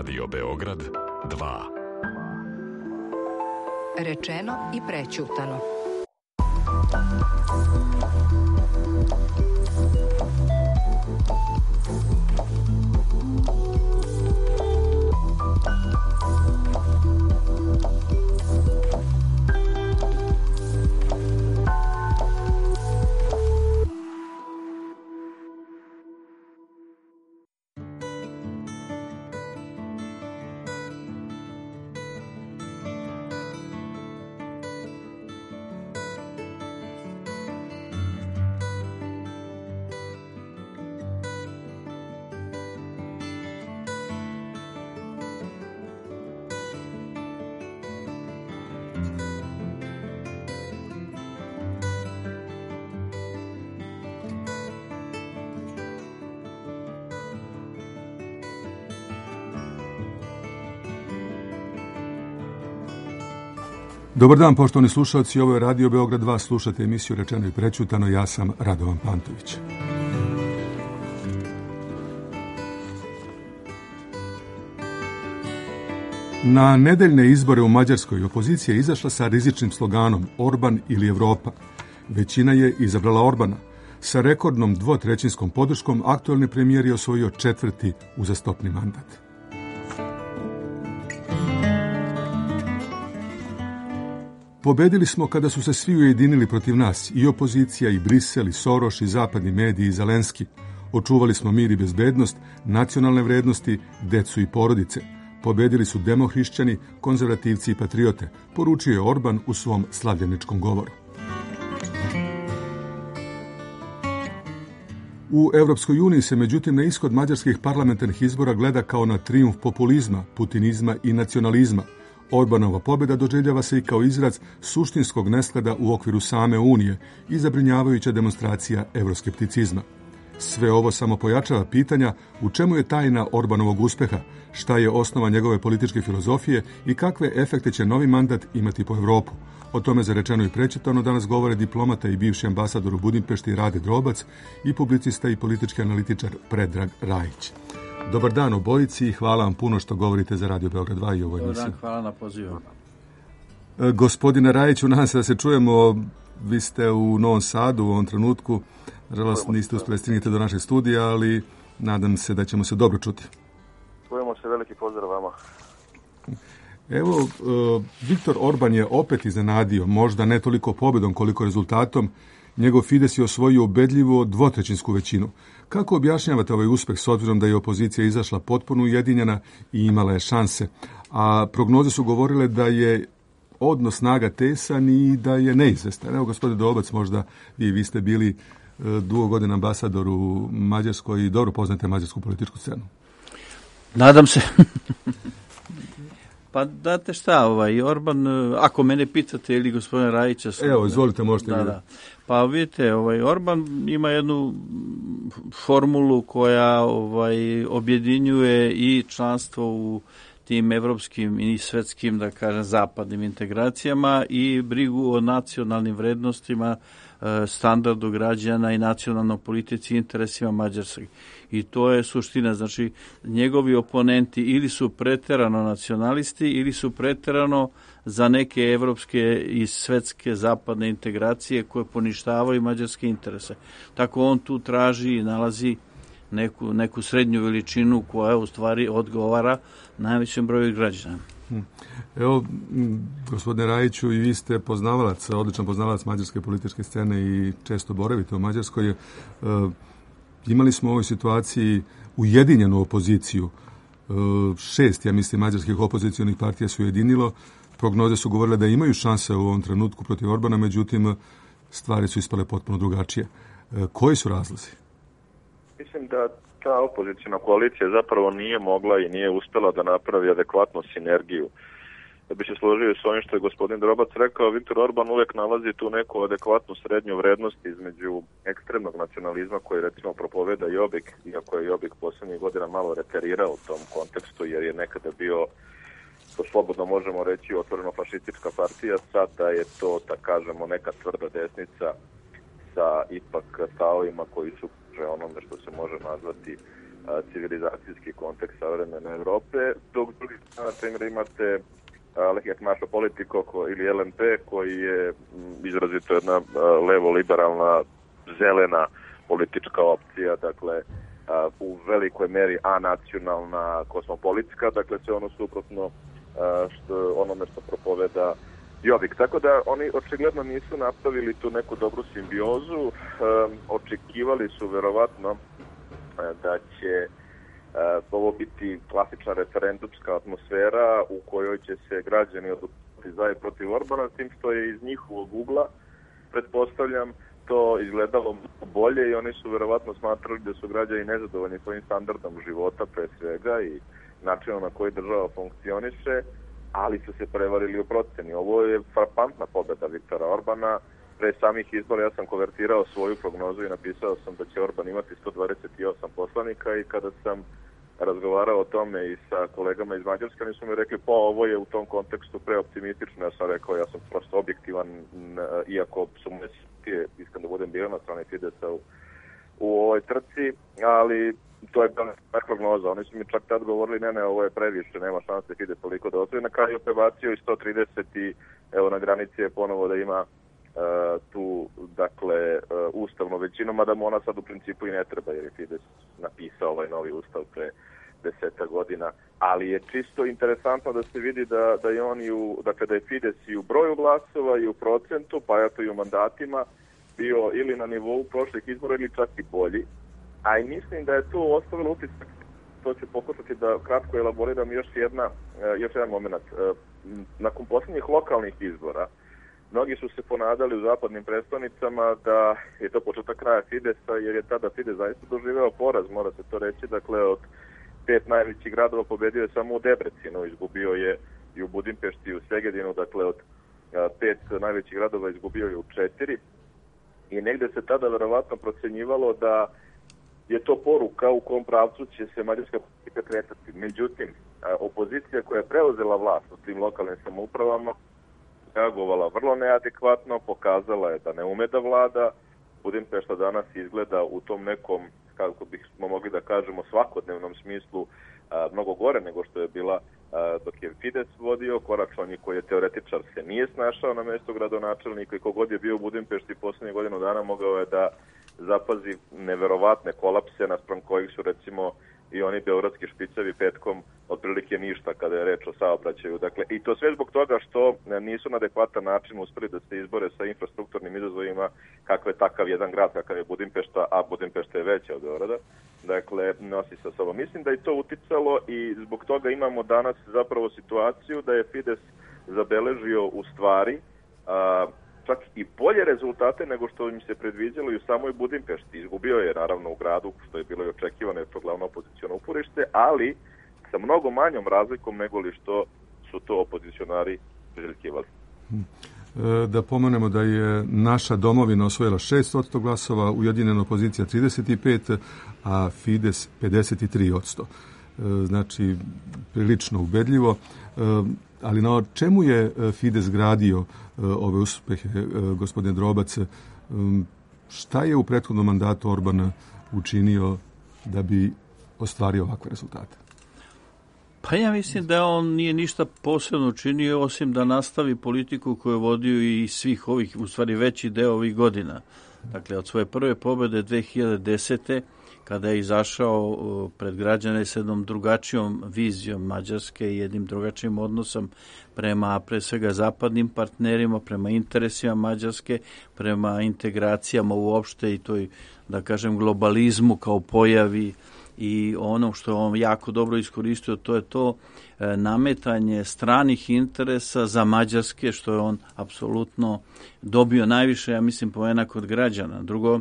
Radio Beograd 2. Rečeno i prećutano. Dobar dan, poštovani slušalci, ovo je Radio Beograd 2, slušate emisiju Rečeno i prećutano, ja sam Radovan Pantović. Na nedeljne izbore u Mađarskoj opozicija je izašla sa rizičnim sloganom Orban ili Evropa. Većina je izabrala Orbana. Sa rekordnom 2/3 podrškom aktuelni premijer je osvojio 4. uzastopni mandat. Pobedili smo kada su se svi ujedinili protiv nas, i opozicija, i Brisel, i Soroš, i zapadni mediji, i Zelenski. Očuvali smo mir i bezbednost, nacionalne vrednosti, decu i porodice. Pobedili su demohrišćani, konzervativci i patriote, poručio je Orban u svom slavljeničkom govoru. U Evropskoj uniji se međutim na ishod mađarskih parlamentarnih izbora gleda kao na trijumf populizma, putinizma i nacionalizma. Orbanova pobjeda doživljava se i kao izraz suštinskog nesklada u okviru same Unije i zabrinjavajuća demonstracija evroskepticizma. Sve ovo samo pojačava pitanja u čemu je tajna Orbanovog uspeha, šta je osnova njegove političke filozofije i kakve efekte će novi mandat imati po Evropu. O tome za Rečeno i prećutano danas govore diplomata i bivši ambasador u Budimpešti Rade Drobac i publicista i politički analitičar Predrag Rajić. Dobar dan obojici i hvala vam puno što govorite za Radio Beograd 2 i ovoj emisiji. Dobar dan, hvala na pozivu. Gospodine Rajiću, nadam se da se čujemo. Vi ste u Novom Sadu u ovom trenutku. Nažalost, niste uspjeli stigniti do našeg studija, ali nadam se da ćemo se dobro čuti. Čujemo se, veliki pozdrav vama. Evo, Viktor Orban je opet iznenadio, možda ne toliko pobjedom koliko rezultatom. Njegov Fides je osvojio ubedljivo 2/3 većinu. Kako objašnjavate ovaj uspeh s obzirom da je opozicija izašla potpuno ujedinjena i imala je šanse? A prognoze su govorile da je odnos snaga tesan i da je neizvestan. Evo, gospodine Drobac, možda vi ste bili dugo godina ambasador u Mađarskoj i dobro poznate mađarsku političku scenu. Nadam se. Pa date šta, Orban, ako mene pitate ili gospodina Rajića... Evo, izvolite, možete vidjeti. Da. Pa vidite, Orban ima jednu formulu koja objedinjuje i članstvo u tim evropskim i svetskim, da kažem, zapadnim integracijama i brigu o nacionalnim vrednostima, standardu građana i nacionalnoj politici i interesima Mađarske. I to je suština. Znači, njegovi oponenti ili su preterano nacionalisti ili su preterano za neke evropske i svetske zapadne integracije koje poništavaju mađarske interese. Tako on tu traži i nalazi neku srednju veličinu koja u stvari odgovara najvećem broju građana. Evo, gospodine Rajiću, i vi ste poznavalac, odličan poznavalac mađarske političke scene i često boravite u Mađarskoj. Imali smo u ovoj situaciji ujedinjenu opoziciju. 6, ja mislim, mađarskih opozicijonih partija su ujedinilo. Prognoze su govorile da imaju šanse u ovom trenutku protiv Orbana, međutim, stvari su ispale potpuno drugačije. Koji su razlozi? Mislim da ta opozicijna koalicija zapravo nije mogla i nije uspela da napravi adekvatnu sinergiju. Da bi se složio s ovim što je gospodin Drobac rekao, Viktor Orban uvek nalazi tu neku adekvatnu srednju vrednost između ekstremnog nacionalizma koji recimo propoveda Jobbik, iako je Jobbik poslednjih godina malo reterirao u tom kontekstu jer je nekada bio, to slobodno možemo reći, otvoreno fašistička partija, sada je to, da kažemo, neka tvrda desnica sa ipak stavovima koji su onome što se može nazvati civilizacijski kontekst savremene Evrope, dok drugi strana, na primjer, imate Lehijak Mašo Politiko ili LNP, koji je izrazito jedna levo-liberalna, zelena politička opcija, dakle, u velikoj meri anacionalna, kosmopolitska, dakle, sve ono suprotno onome što propoveda Jobbik. Tako da oni očigledno nisu napravili tu neku dobru simbiozu, očekivali su verovatno da će ovo biti klasična referendumska atmosfera u kojoj će se građani odlučiti za i protiv Orbana, tim što je iz njihovog ugla, pretpostavljam, to izgledalo bolje i oni su verovatno smatrali da su građani nezadovoljni svojim standardom života pre svega i načinom na koji država funkcioniše, ali su se prevarili u proceni. Ovo je frapantna pobeda Viktora Orbana. Pre samih izbora ja sam konvertirao svoju prognozu i napisao sam da će Orban imati 128 poslanika i kada sam razgovarao o tome i sa kolegama iz Mađarske, oni su mi rekli, pa ovo je u tom kontekstu preoptimistično. Ja sam rekao, ja sam prosto objektivan, iako su me iskam da budem bio na strani Fidesa u ovoj trci, ali to je bila prognoza. Oni su mi čak tad govorili, ne, ovo je previše, nema šanse Fides toliko da osvoji. Na kraju prebacio i 130 i evo na granici je ponovo da ima tu, dakle, ustavnu većinu, mada mu ona sad u principu i ne treba, jer je Fides napisao ovaj novi ustav pre 10 godina, ali je čisto interesantno da se vidi da je on dakle, da je Fides i u broju glasova i u procentu, pa eto i u mandatima bio ili na nivou prošlih izbora ili čak i bolji, a i mislim da je to ostavilo utisak, to ću pokušati da kratko elaboriram još jedan moment. Nakon posljednjih lokalnih izbora, mnogi su se ponadali u zapadnim predstavnicama da je to početak kraja Fidesa, jer je tada Fides zaista doživeo poraz, mora se to reći, dakle od 5 najvećih gradova pobedio je samo u Debrecinu, izgubio je i u Budimpešti i u Segedinu, dakle od 5 najvećih gradova izgubio je u 4 i negde se tada verovatno procenjivalo da je to poruka u kom pravcu će se mađarska politika kretati. Međutim, opozicija koja je preuzela vlast u tim lokalnim samoupravama reagovala vrlo neadekvatno, pokazala je da ne ume da vlada. Budimpešta danas izgleda u tom nekom, kako bismo mogli da kažemo, svakodnevnom smislu mnogo gore nego što je bila dok je Fides vodio. Koračlani koji je teoretičar se nije snašao na mesto gradonačelnika i kogod je bio u Budimpešti poslednje godinu dana mogao je da zapazi neverovatne kolapse naspram kojih su recimo i oni beogradski špicevi petkom otprilike ništa kada je reč o saobraćaju. Dakle, i to sve zbog toga što nisu na adekvatan način uspeli da se izbore sa infrastrukturnim izazovima kakve takav jedan grad kakav je Budimpešta, a Budimpešta je veća od Beograda. Dakle, nosi sa sobom. Mislim da je to uticalo i zbog toga imamo danas zapravo situaciju da je Fides zabeležio u stvari čak i bolje rezultate nego što im se predviđalo i u samoj Budimpešti. Izgubio je naravno u gradu, što je bilo i očekivano, je to glavno opoziciono uporište, ali sa mnogo manjom razlikom nego li što su to opozicionari priželjkivali. Da pomenemo da je naša domovina osvojila 6% glasova, ujedinjena opozicija 35%, a Fides 53%. Znači, prilično ubedljivo. Ali na čemu je Fides gradio ove uspehe, gospodine Drobac? Šta je u prethodnom mandatu Orbana učinio da bi ostvario ovakve rezultate? Pa ja mislim da on nije ništa posebno učinio osim da nastavi politiku koju je vodio i svih ovih, u stvari veći deo ovih godina. Dakle, od svoje prve pobjede 2010. kada je izašao pred građane s jednom drugačijom vizijom Mađarske i jednim drugačijim odnosom prema pre svega zapadnim partnerima, prema interesima Mađarske, prema integracijama uopšte i toj, da kažem, globalizmu kao pojavi i ono što je on jako dobro iskoristio, to je to nametanje stranih interesa za Mađarske, što je on apsolutno dobio najviše, ja mislim, poena kod građana. Drugo,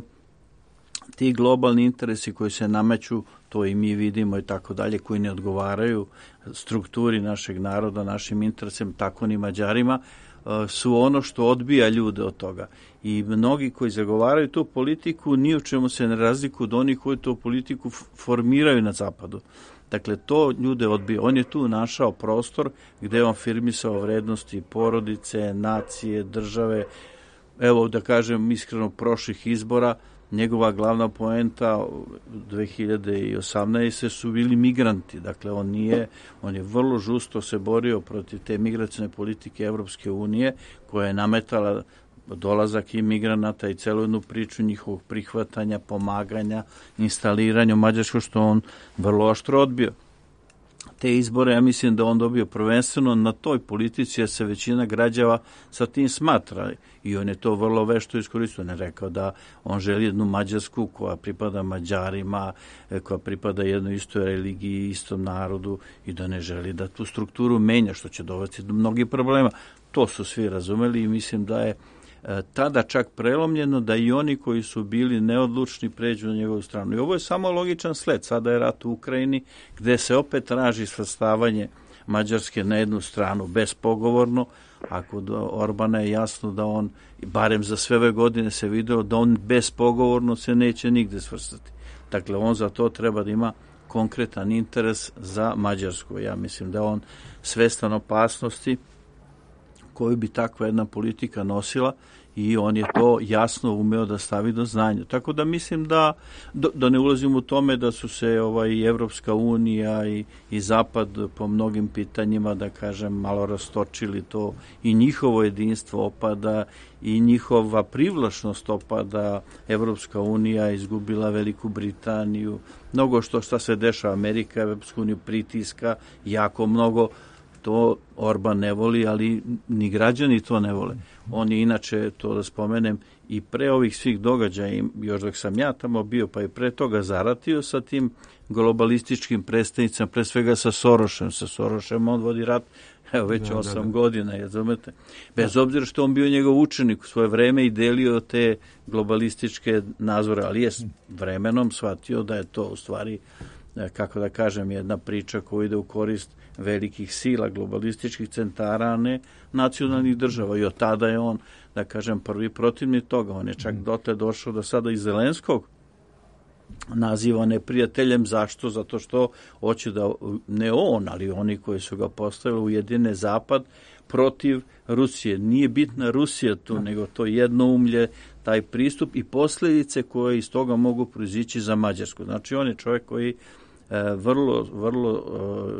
ti globalni interesi koji se nameću, to i mi vidimo i tako dalje, koji ne odgovaraju strukturi našeg naroda, našim interesima, tako ni Mađarima, su ono što odbija ljude od toga. I mnogi koji zagovaraju tu politiku ni u čemu se ne razlikuju od onih koji tu politiku formiraju na zapadu. Dakle, to ljude odbija. On je tu našao prostor gde je on afirmisao vrednosti porodice, nacije, države. Evo, da kažem iskreno, prošlih izbora njegova glavna poenta 2018. su bili migranti. Dakle, on je vrlo žusto se borio protiv te migracione politike Evropske unije koja je nametala dolazak imigranata i celu jednu priču njihovog prihvatanja, pomaganja, instaliranja u Mađarskoj, što on vrlo oštro odbio. Te izbore, ja mislim da on dobio prvenstveno na toj politici, jer se većina građana sa tim smatra i on je to vrlo vešto iskoristio. On je rekao da on želi jednu Mađarsku koja pripada Mađarima, koja pripada jednoj istoj religiji, istom narodu i da ne želi da tu strukturu menja, što će dovesti do mnogih problema. To su svi razumeli i mislim da je tada čak prelomljeno da i oni koji su bili neodlučni pređu na njegovu stranu. I ovo je samo logičan sled. Sada je rat u Ukrajini gde se opet traži svrstavanje Mađarske na jednu stranu bespogovorno, a kod Orbana je jasno da on, barem za sve ove godine se video da on bespogovorno se neće nigde svrstati. Dakle, on za to treba da ima konkretan interes za Mađarsku. Ja mislim da on svestan opasnosti koju bi takva jedna politika nosila i on je to jasno umeo da stavi do znanja. Tako da mislim da ne ulazim u tome da su se i Evropska unija i Zapad po mnogim pitanjima, da kažem, malo rastočili to i njihovo jedinstvo opada i njihova privlačnost opada. Evropska unija izgubila Veliku Britaniju, mnogo šta se dešava, Amerika, Evropsku uniju pritiska jako mnogo. To Orban ne voli, ali ni građani to ne vole. On je inače, to da spomenem, i pre ovih svih događaja, još dok sam ja tamo bio, pa i pre toga zaratio sa tim globalističkim predstavnicama, pre svega sa Sorošem. Sa Sorošem on vodi rat već 8 godina, razumete? Bez obzira što on bio njegov učenik u svoje vreme i delio te globalističke nazore, ali je vremenom shvatio da je to u stvari, kako da kažem, jedna priča koja ide u korist velikih sila, globalističkih centara, a ne nacionalnih država. I od tada je on, da kažem, prvi protivnik toga. On je čak dotle došao da sada i Zelenskog naziva neprijateljem. Zašto? Zato što hoće da, ne on, ali oni koji su ga postavili, ujedine Zapad protiv Rusije. Nije bitna Rusija tu, nego to jednoumlje, taj pristup i posljedice koje iz toga mogu proizići za Mađarsku. Znači, on je čovjek koji vrlo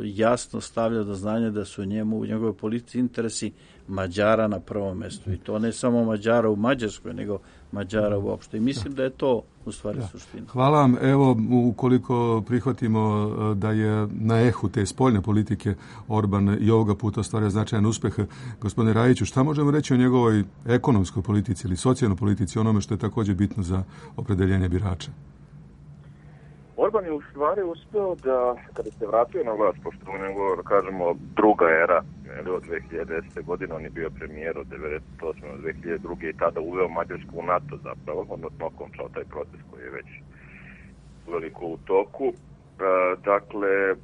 jasno stavlja do znanja da su u njegovoj politici interesi Mađara na prvom mjestu. I to ne samo Mađara u Mađarskoj, nego Mađara uopšte. I mislim da je to u stvari suština. Hvala vam. Evo, ukoliko prihvatimo da je na ehu te spoljne politike Orban i ovoga puta ostvario značajan uspeh, gospodine Rajiću, šta možemo reći o njegovoj ekonomskoj politici ili socijalnoj politici, onome što je također bitno za opredeljenje birača? Orban je u stvari uspeo da, kada se vratio na vlast, pošto u nego, da kažemo, druga era, od 2010. godine, on je bio premijer od 1998. do 2002. i tada uveo Mađarsku u NATO zapravo, odnosno okončao taj proces koji je već veliko u toku. Dakle,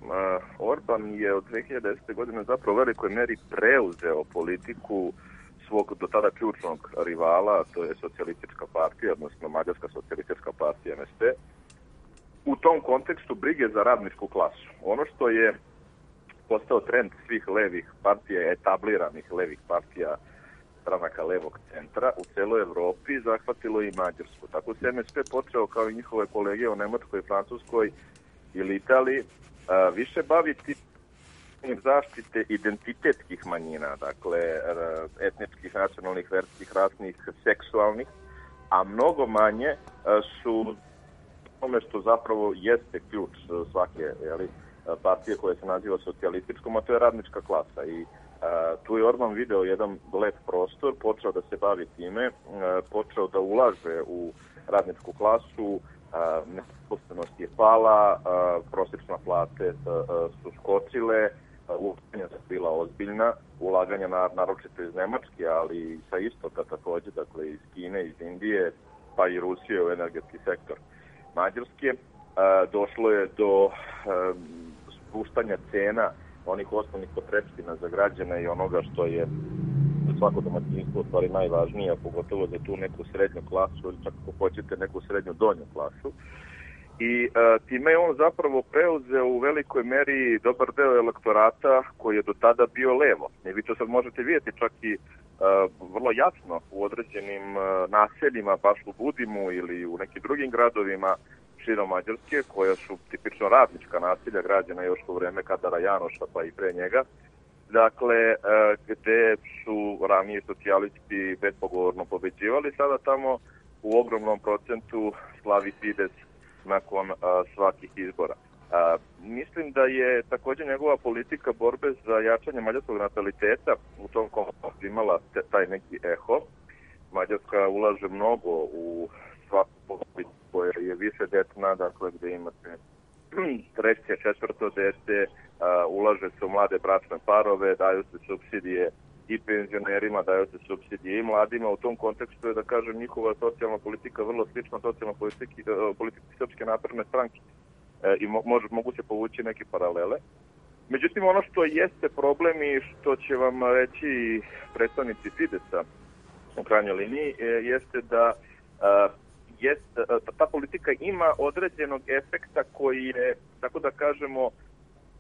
Orban je od 2010. godine zapravo u velikoj meri preuzeo politiku svog do tada ključnog rivala, to je socijalistička partija, odnosno Mađarska socijalistička partija MSP, u tom kontekstu brige za radničku klasu. Ono što je postao trend svih levih partija, etabliranih levih partija stranaka levog centra u celoj Evropi, zahvatilo i Mađarsku. Tako se MSP počeo, kao i njihove kolege u Nemačkoj, Francuskoj ili Italiji, više baviti zaštite identitetskih manjina, dakle etničkih, nacionalnih, verskih, rasnih, seksualnih, a mnogo manje su tome što zapravo jeste ključ svake partije koja se naziva socijalističkom, a to je radnička klasa. I tu je Orban video jedan lep prostor, počeo da se bavi time, počeo da ulaže u radničku klasu, nezaposlenost je pala, prosječna plate su skočile, ulaganja su bila ozbiljna, ulaganja naročito iz Nemačke, ali i sa istoka također, dakle iz Kine, iz Indije, pa i Rusije u energetski sektor Mađarske. Došlo je do spuštanja cena onih osnovnih potrepština za građane i onoga što je za svako domaćinstvo u stvari najvažnije, pogotovo za tu neku srednju klasu ili čak ako hoćete neku srednju donju klasu. I time je on zapravo preuzeo u velikoj meri dobar deo elektorata koji je do tada bio levo. I vi to sad možete vidjeti čak i vrlo jasno u određenim naseljima, baš u Budimu ili u nekim drugim gradovima širom Mađarske, koja su tipično radnička naselja građena još u vreme Kadara Janoša pa i pre njega, dakle, gde su ranije socijalisti bespogovorno pobeđivali, sada tamo u ogromnom procentu slavi Fides nakon svakih izbora. Mislim da je također njegova politika borbe za jačanje mađarskog nataliteta u tom kontekstu imala taj neki eho. Mađarska ulaže mnogo u svaku politiku koja je više detna, dakle gde imate treće, četvrto dete, ulaže se u mlade bračne parove, daju se subsidije i penzionerima, daju se subsidije i mladima. U tom kontekstu je, da kažem, njihova socijalna politika vrlo slična socijalna politici Srpske napredne stranke i mogu se povući neke paralele. Međutim, ono što jeste problem i što će vam reći predstavnici Fidesa u krajnjoj liniji jeste da ta politika ima određenog efekta koji je, tako da kažemo,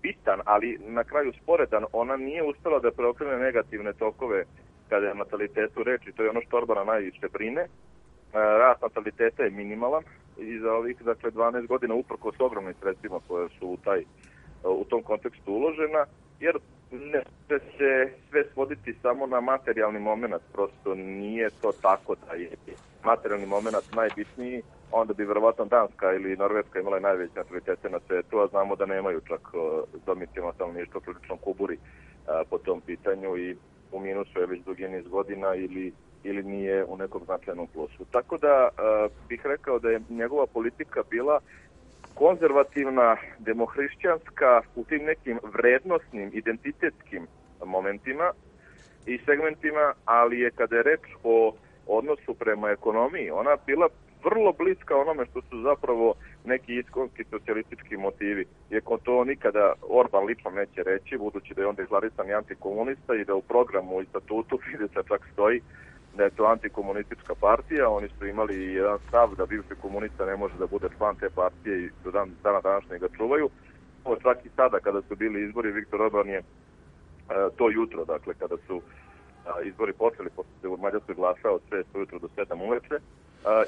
bitan, ali na kraju sporedan. Ona nije uspela da preokrene negativne tokove kada je natalitetu reči. To je ono što Orbana najviše brine. Rast nataliteta je minimalan i za ovih 12 godina uprkos ogromnim sredstvima koje su u tom kontekstu uložena, jer ne će se sve svoditi samo na materijalni moment, prosto nije to tako da je materijalni moment najbitniji, onda bi verovatno Danska ili Norveška imala najveće natalitete na svetu, a znamo da nemaju čak domicilno stanovništvo prilično kuburi po tom pitanju i u minusu je već dugi niz godina ili nije u nekom značajnom plusu. Tako da bih rekao da je njegova politika bila konzervativna, demohrišćanska u tim nekim vrednosnim, identitetskim momentima i segmentima, ali je kada je reč o odnosu prema ekonomiji, ona bila vrlo bliska onome što su zapravo neki iskonski socijalistički motivi. Iako to nikada Orban lično neće reći, budući da je onda izlarisan i antikomunista i da u programu i statutu Fidesa čak stoji da je to antikomunistička partija. Oni su imali jedan stav da bivši komunista ne može da bude član te partije i do dana današnjeg ga čuvaju. Čak i sada kada su bili izbori, Viktor Orban je to jutro, dakle kada su izbori počeli, pošto se u Mađarskoj glasao od 6 ujutro do 7 uveče,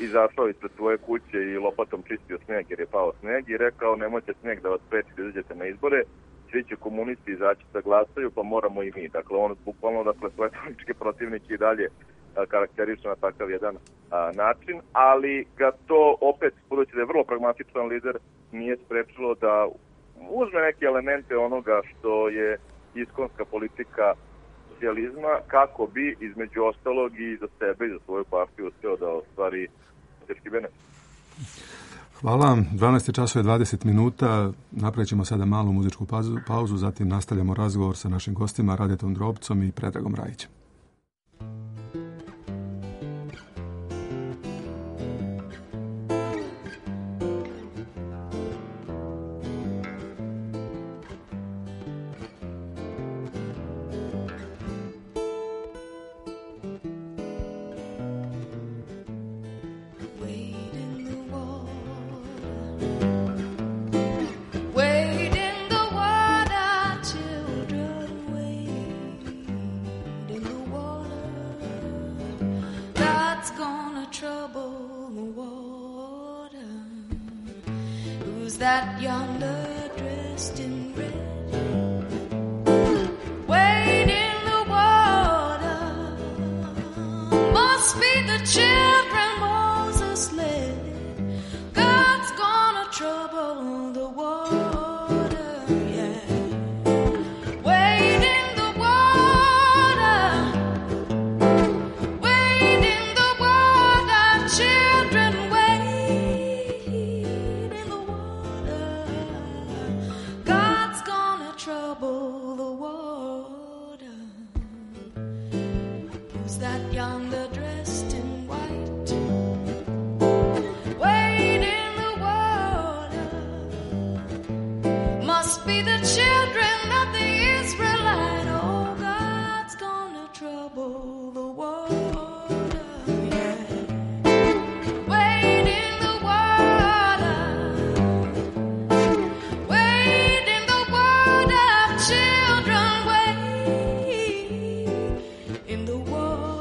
izašao ispred svoje kuće i lopatom čistio sneg jer je pao sneg i rekao nemojte sneg da vas spreči da izađete na izbore, svi će komunisti izaći da glasaju, pa moramo i mi. Dakle, on bukvalno, svoje političke protivnike i dalje karakteriše na takav jedan način, ali ga to opet, budući da je vrlo pragmatičan lider, nije sprečilo da uzme neke elemente onoga što je iskonska politika socijalizma, kako bi između ostalog i za sebe i za svoju partiju uspeo da ostvari teški benefit. Hvala. 12 časova je 20 minuta. Napravit ćemo sada malu muzičku pauzu, zatim nastavljamo razgovor sa našim gostima Radetom Drobcom i Predragom Rajićem. That yonder dressed in red, wade in the water, must be the children Moses led. God's gonna trouble the water, yeah. Wade in the water, wade in the water, children wade in the water. God's gonna trouble the water. Who's that yonder dressed in white? Wade in the water. Must be the children of the Israelite. Oh, God's gonna trouble the water, yeah. Wade in the water. Wade in the water, children, wade in the water.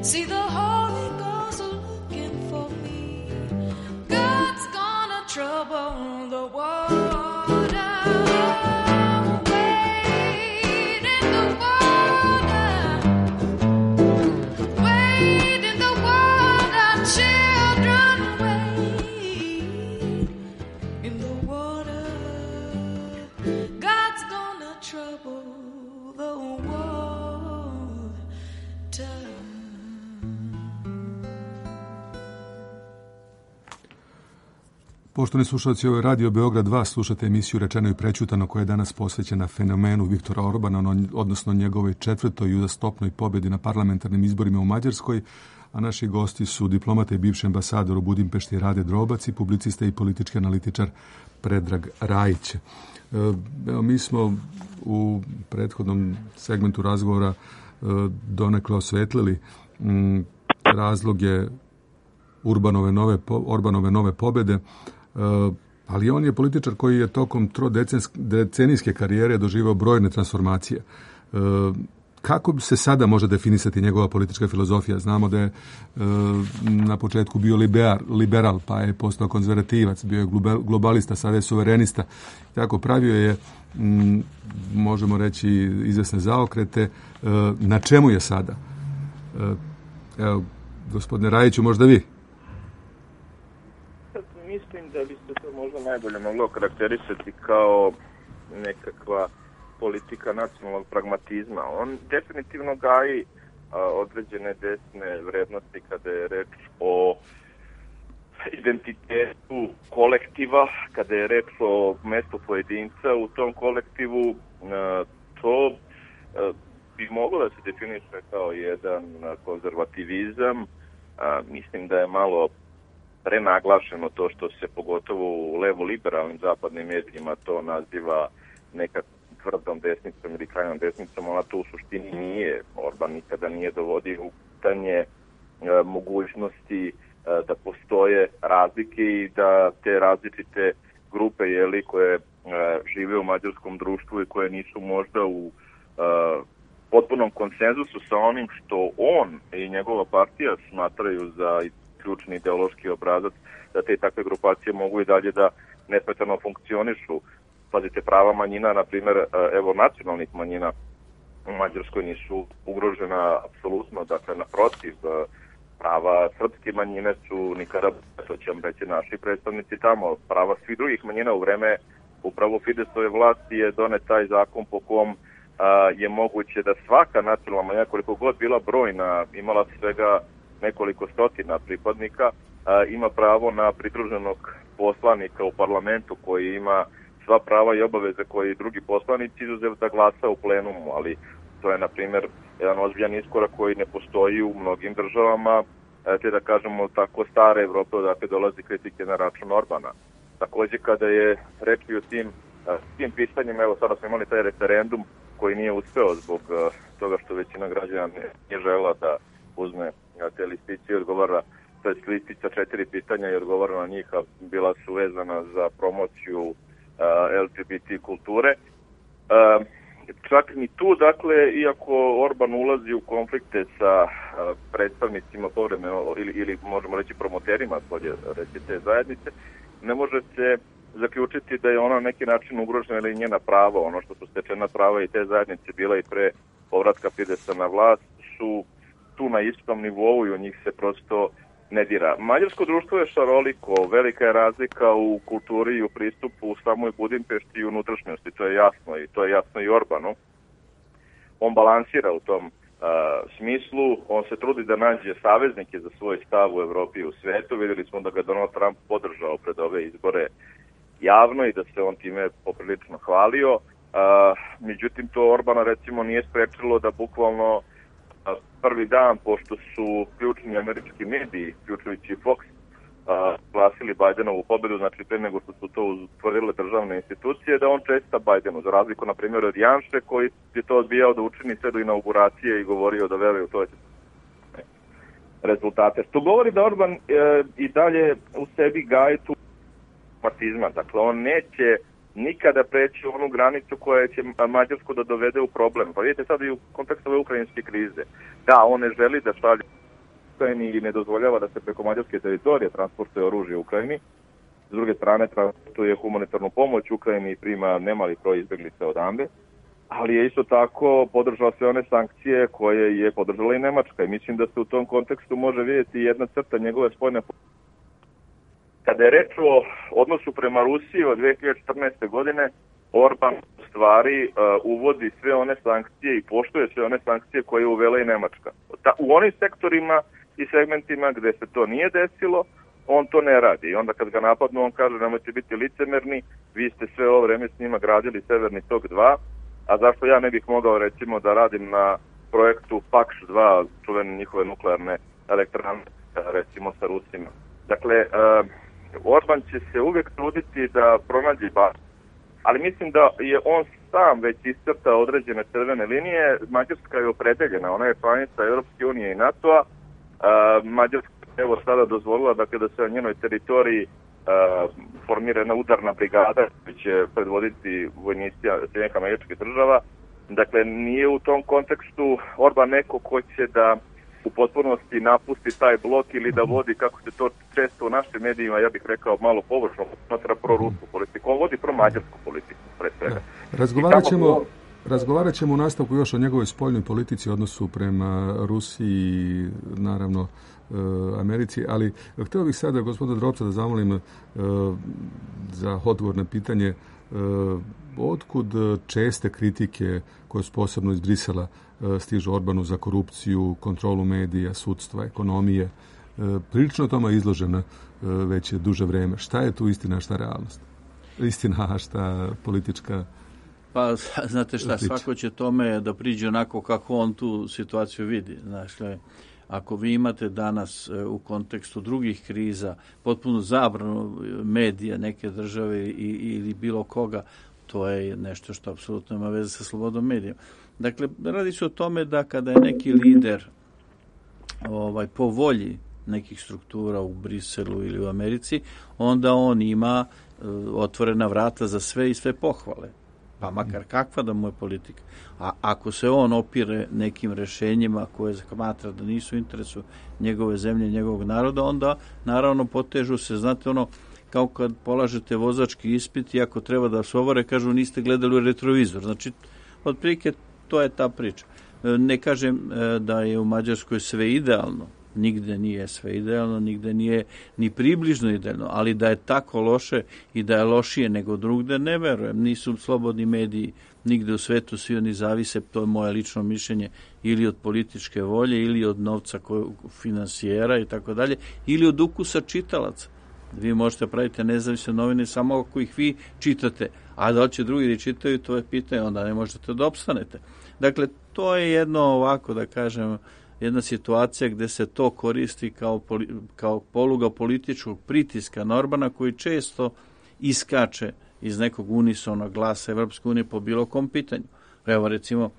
See the Holy Ghost looking for me. God's gonna trouble the water. Wade in the water. Wade in the water, children, wade in the water. God's gonna trouble the water. Poštovani slušalci, ovo je Radio Beograd 2, slušate emisiju Rečeno i prećutano koja je danas posvećena fenomenu Viktora Orbana, odnosno njegovoj 4. i uzastopnoj pobjedi na parlamentarnim izborima u Mađarskoj, a naši gosti su diplomata i bivši ambasador u Budimpešti Rade Drobac i publicista i politički analitičar Predrag Rajić. Evo, mi smo u prethodnom segmentu razgovora donekle osvetlili razloge Orbanove nove pobjede, ali on je političar koji je tokom trodecenijske karijere doživao brojne transformacije. Kako se sada može definisati njegova politička filozofija? Znamo da je na početku bio liberal, pa je postao konzervativac, bio je globalista, sada je suverenista. Tako, pravio je, možemo reći, izvesne zaokrete. Na čemu je sada? Evo, gospodine Rajiću, možda vi? Mislim da bi se to možda najbolje moglo karakterisati kao nekakva politika nacionalnog pragmatizma. On definitivno gaji određene desne vrednosti kada je reč o identitetu kolektiva, kada je reč o mestu pojedinca u tom kolektivu. To bi moglo da se definiše kao jedan konzervativizam. Mislim da je malo prenaglašeno to što se pogotovo u levo-liberalnim zapadnim medijima to naziva neka tvrdom desnicom ili krajnom desnicom. Ona to u suštini nije. Orban nikada nije dovodio u pitanje mogućnosti da postoje razlike i da te različite grupe koje žive u mađarskom društvu i koje nisu možda u potpunom konsenzusu sa onim što on i njegova partija smatraju za ključni ideološki obrazac, da te takve grupacije mogu i dalje da nesmetano funkcionišu. Pazite, prava manjina, na primjer, evo nacionalnih manjina u Mađarskoj nisu ugrožena apsolutno, dakle naprotiv, prava srpske manjine su nikada, to će vam reći naši predstavnici tamo, prava svih drugih manjina u vreme upravo Fidesove vlasti je donet taj zakon po kom je moguće da svaka nacionalna manjina, koliko god bila brojna, imala svega nekoliko stotina pripadnika, ima pravo na pridruženog poslanika u parlamentu koji ima sva prava i obaveze koji i drugi poslanici, izuzev da glasa u plenumu, ali to je, na primjer, jedan ozbiljan iskorak koji ne postoji u mnogim državama, te da kažemo tako stare Evrope, odakle dolazi kritike na račun Orbana. Takođe, kada je reč i o tim pitanjima, evo sada smo imali taj referendum koji nije uspeo zbog toga što većina građana nije žela da uzme te listiće i odgovara, to je listica 4 pitanja i odgovara na njih, a bila su vezana za promociju LGBT kulture. Čak ni tu, dakle, iako Orban ulazi u konflikte sa predstavnicima povremeno ili možemo reći promoterima te zajednice, ne može se zaključiti da je ona na neki način ugrožena ili njena prava. Ono što su stečena prava i te zajednice bila i pre povratka Fidesa na vlast su tu na istom nivou i u njih se prosto ne dira. Mađarsko društvo je šaroliko, velika je razlika u kulturi i u pristupu u samoj Budimpešti i unutrašnjosti, to je jasno i to je jasno i Orbanu. On balansira u tom smislu, on se trudi da nađe saveznike za svoj stav u Evropi i u svetu. Vidjeli smo da ga Donald Trump podržao pred ove izbore javno i da se on time poprilično hvalio. Međutim, to Orbana recimo nije sprečilo da bukvalno prvi dan, pošto su ključni američki mediji, ključujući Fox, glasili Bajdenovu pobedu, znači pre nego što su to utvrdile državne institucije, da on česta Bajdenu, za razliku, na primjer, od Janše, koji je to odbijao da učini sve do inauguracije i govorio da veruje u to rezultate. Što govori da Orban i dalje u sebi gaji tu martizma. Dakle, on neće nikada preći onu granicu koja će Mađarsku da dovede u problem. Pa vidite sad i u kontekstu ove ukrajinske krize. Da, on ne želi da šalje Ukrajini i ne dozvoljava da se preko mađarske teritorije transportuje oružje u Ukrajini. S druge strane, transportuje humanitarnu pomoć Ukrajini i prima nemali broj izbjeglica odande, ali je isto tako podržao sve one sankcije koje je podržala i Nemačka i mislim da se u tom kontekstu može vidjeti jedna crta njegove spoljne politike. Kada je reč o odnosu prema Rusiji od 2014. godine, Orban u stvari uvodi sve one sankcije i poštuje sve one sankcije koje je uvela i Nemačka. U onim sektorima i segmentima gde se to nije desilo, on to ne radi. I onda kad ga napadnu, on kaže nemojte biti licemerni, vi ste sve ovo vreme s njima gradili Severni tok 2, a zašto ja ne bih mogao recimo da radim na projektu Pakš 2, čuvene njihove nuklearne elektrane, recimo sa Rusima. Dakle, Orban će se uvijek truditi da pronađe balans, ali mislim da je on sam već iscrtao određene crvene linije. Mađarska je opredeljena, ona je članica Europske unije i NATO-a. Mađarska evo sada dozvolila da kada se na njenoj teritoriji formira jedna udarna brigada koja će predvoditi vojnici Sjedinjenih Američkih Država. Dakle, nije u tom kontekstu Orban neko ko će da u potpunosti napusti taj blok ili da vodi, kako se to često u našim medijima, ja bih rekao malo površno, smatra pro-rusku politiku. On vodi pro-mađarsku politiku, pre svega. Razgovarat ćemo u nastavku još o njegovoj spoljnoj politici, odnosu prema Rusiji, naravno Americi, ali htio bih sada gospodina Drobca da zamolim za odgovor na pitanje otkud česte kritike koje su posebno iz Brisela stižu Orbanu za korupciju, kontrolu medija, sudstva, ekonomije. Prilično tome je izložena već je duže vreme. Šta je tu istina, šta realnost? Istina, a šta politička? Pa, znate šta, svako će tome da priđe onako kako on tu situaciju vidi. Znači, ako vi imate danas u kontekstu drugih kriza potpuno zabranu medija neke države ili bilo koga, to je nešto što apsolutno ima veze sa slobodom medija. Dakle, radi se o tome da kada je neki lider po volji nekih struktura u Briselu ili u Americi, onda on ima otvorena vrata za sve i sve pohvale. Pa makar kakva da mu je politika. A ako se on opire nekim rešenjima koje smatra da nisu u interesu njegove zemlje, njegovog naroda, onda naravno potežu se, znate ono, kao kad polažete vozački ispit i ako treba da se ovore, kažu niste gledali u retrovizor. Znači, otprilike to je ta priča. Ne kažem da je u Mađarskoj sve idealno, nigde nije sve idealno, nigde nije ni približno idealno, ali da je tako loše i da je lošije nego drugde, ne verujem. Nisu slobodni mediji nigde u svetu, svi oni zavise, to je moje lično mišljenje, ili od političke volje, ili od novca finansijera i tako dalje, ili od ukusa čitalaca. Vi možete praviti nezavisne novine samo ako ih vi čitate, a da će drugi da čitaju, to je pitanje, onda ne možete da opstanete. Dakle, to je jedno ovako, da kažem, jedna situacija gde se to koristi kao poluga političkog pritiska na Orbana, koji često iskače iz nekog unisonog glasa Evropske unije po bilo kom pitanju. Evo recimo,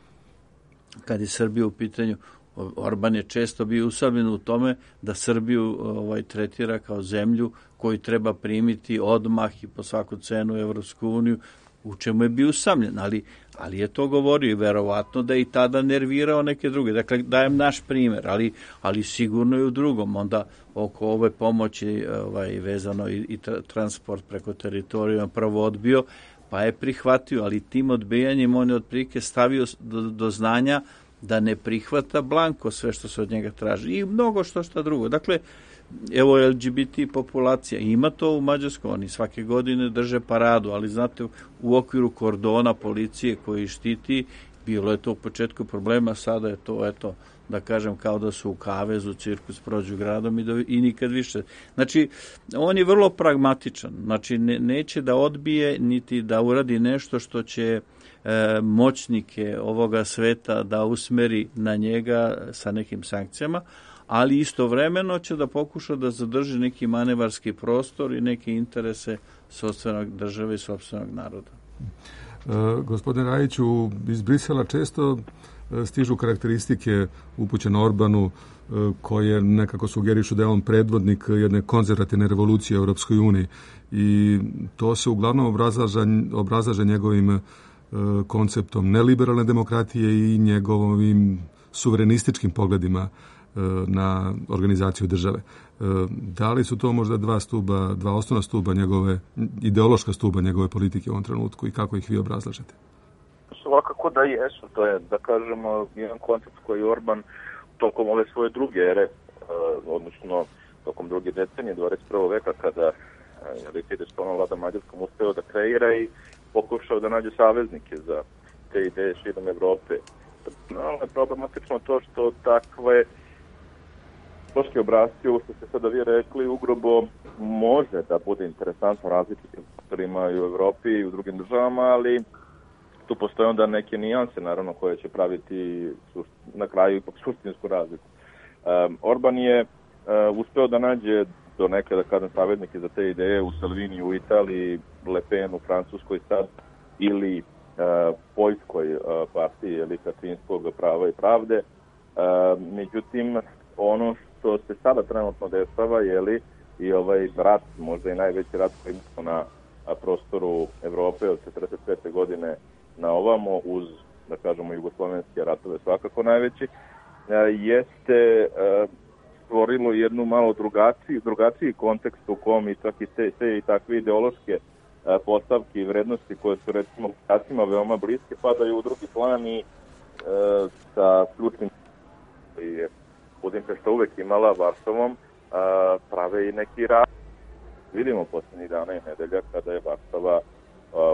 kad je Srbija u pitanju, Orban je često bio usamljen u tome da Srbiju tretira kao zemlju koju treba primiti odmah i po svaku cenu u Evropsku uniju, u čemu je bio usamljen, ali je to govorio i verovatno da je i tada nervirao neke druge. Dakle, dajem naš primjer, ali sigurno i u drugom. Onda oko ove pomoći vezano i transport preko teritorija prvo odbio, pa je prihvatio, ali tim odbijanjem on je otprilike stavio do znanja da ne prihvata blanko sve što se od njega traži i mnogo što drugo. Dakle, evo LGBT populacija, ima to u Mađarskoj, oni svake godine drže paradu, ali znate, u okviru kordona policije koji štiti, bilo je to u početku problema, sada je to, eto, da kažem, kao da su u kavezu, cirkus prođu gradom i nikad više. Znači, on je vrlo pragmatičan, znači neće da odbije niti da uradi nešto što će moćnike ovoga sveta da usmeri na njega sa nekim sankcijama, ali istovremeno će da pokuša da zadrži neki manevarski prostor i neke interese sopstvenog države i sopstvenog naroda. Gospodine Rajiću, iz Brisela često stižu karakteristike upućene Orbanu koje nekako sugerišu da je on predvodnik jedne konzervativne revolucije u Europskoj uniji i to se uglavnom obrazlaže njegovim konceptom neliberalne demokratije i njegovim suverenističkim pogledima na organizaciju države. Da li su to možda dva osnovna stuba njegove, ideološka stuba njegove politike u ovom trenutku i kako ih vi obrazlažete? Svakako da jesu. To je, da kažemo, jedan koncept koji Orban tokom ove svoje druge ere, odnosno tokom druge decenije 21. veka, kada je Fidesz vlada Mađarskom uspeo da kreira i pokušao da nađe saveznike za te ideje širom Evrope. Ali je problematično to što takve političke obrazci, ovo što ste sada vi rekli, ugrobo može da bude interesantno različitim faktorima i u Evropi i u drugim državama, ali tu postoje onda neke nijanse, naravno, koje će praviti na kraju ipak suštinsku razliku. Orban je uspeo da nađe do neke, da kažem, savetnike za te ideje u Salvini u Italiji, Le Pen u Francuskoj sad, ili Poljskoj partiji Kačinskog prava i pravde. Međutim, ono što se sada trenutno dešava, i ovaj rat, možda i najveći rat koji imamo na prostoru Evrope od 1945. godine na ovamo, uz, da kažemo, jugoslovenske ratove svakako najveći, jeste stvorilo jednu malo drugačiji kontekst u kom i čak i te i takve ideološke postavke i vrednosti koje su, recimo, Kacima veoma bliske, padaju u drugi plan i sa ključnim koji je Budimpešta uvek imala Varšavom, prave i neki rat. Vidimo posljednjih dana i nedelja kada je Varšava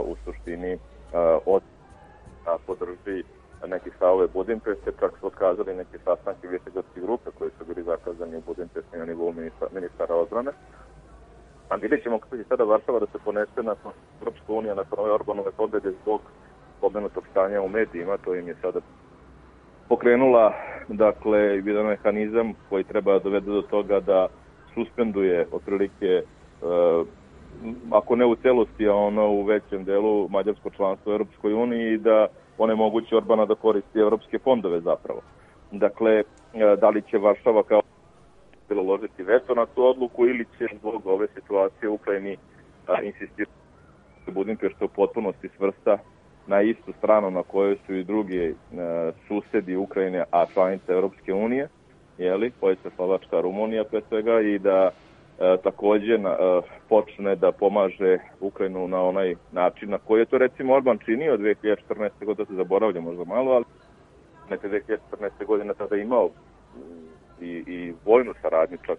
u suštini podrži neki stavove Budimpešte, čak su otkazali neke sastanke Višegradske grupe koji su bili zakazani u Budimpešti na nivou ministara odbrane. A vidjet ćemo kako će sada Varšava da se ponese nakon Europska unija, nakon ove Orbanove pobjede zbog pomenutog stanja u medijima. To im je sada pokrenula, dakle, jedan mehanizam koji treba dovede do toga da suspenduje otprilike, ako ne u celosti, a ono u većem delu, mađarsko članstvo u Europskoj uniji i da onemogući Orbana da koristi evropske fondove zapravo. Dakle, da li će Varšava kao bilo ložiti veto na tu odluku ili će zbog ove situacije u Ukrajini insistirati da Budimpešta u potpunosti svrsta na istu stranu na kojoj su i drugi susedi Ukrajine, a članice Europske unije, Poljska, Slovačka, Rumunija pre svega, i da takođe počne da pomaže Ukrajinu na onaj način na koji je to, recimo, Orban činio 2014. godine, da se zaboravlja možda malo, ali neke 2014. godine tada imao i vojnu saradnju čak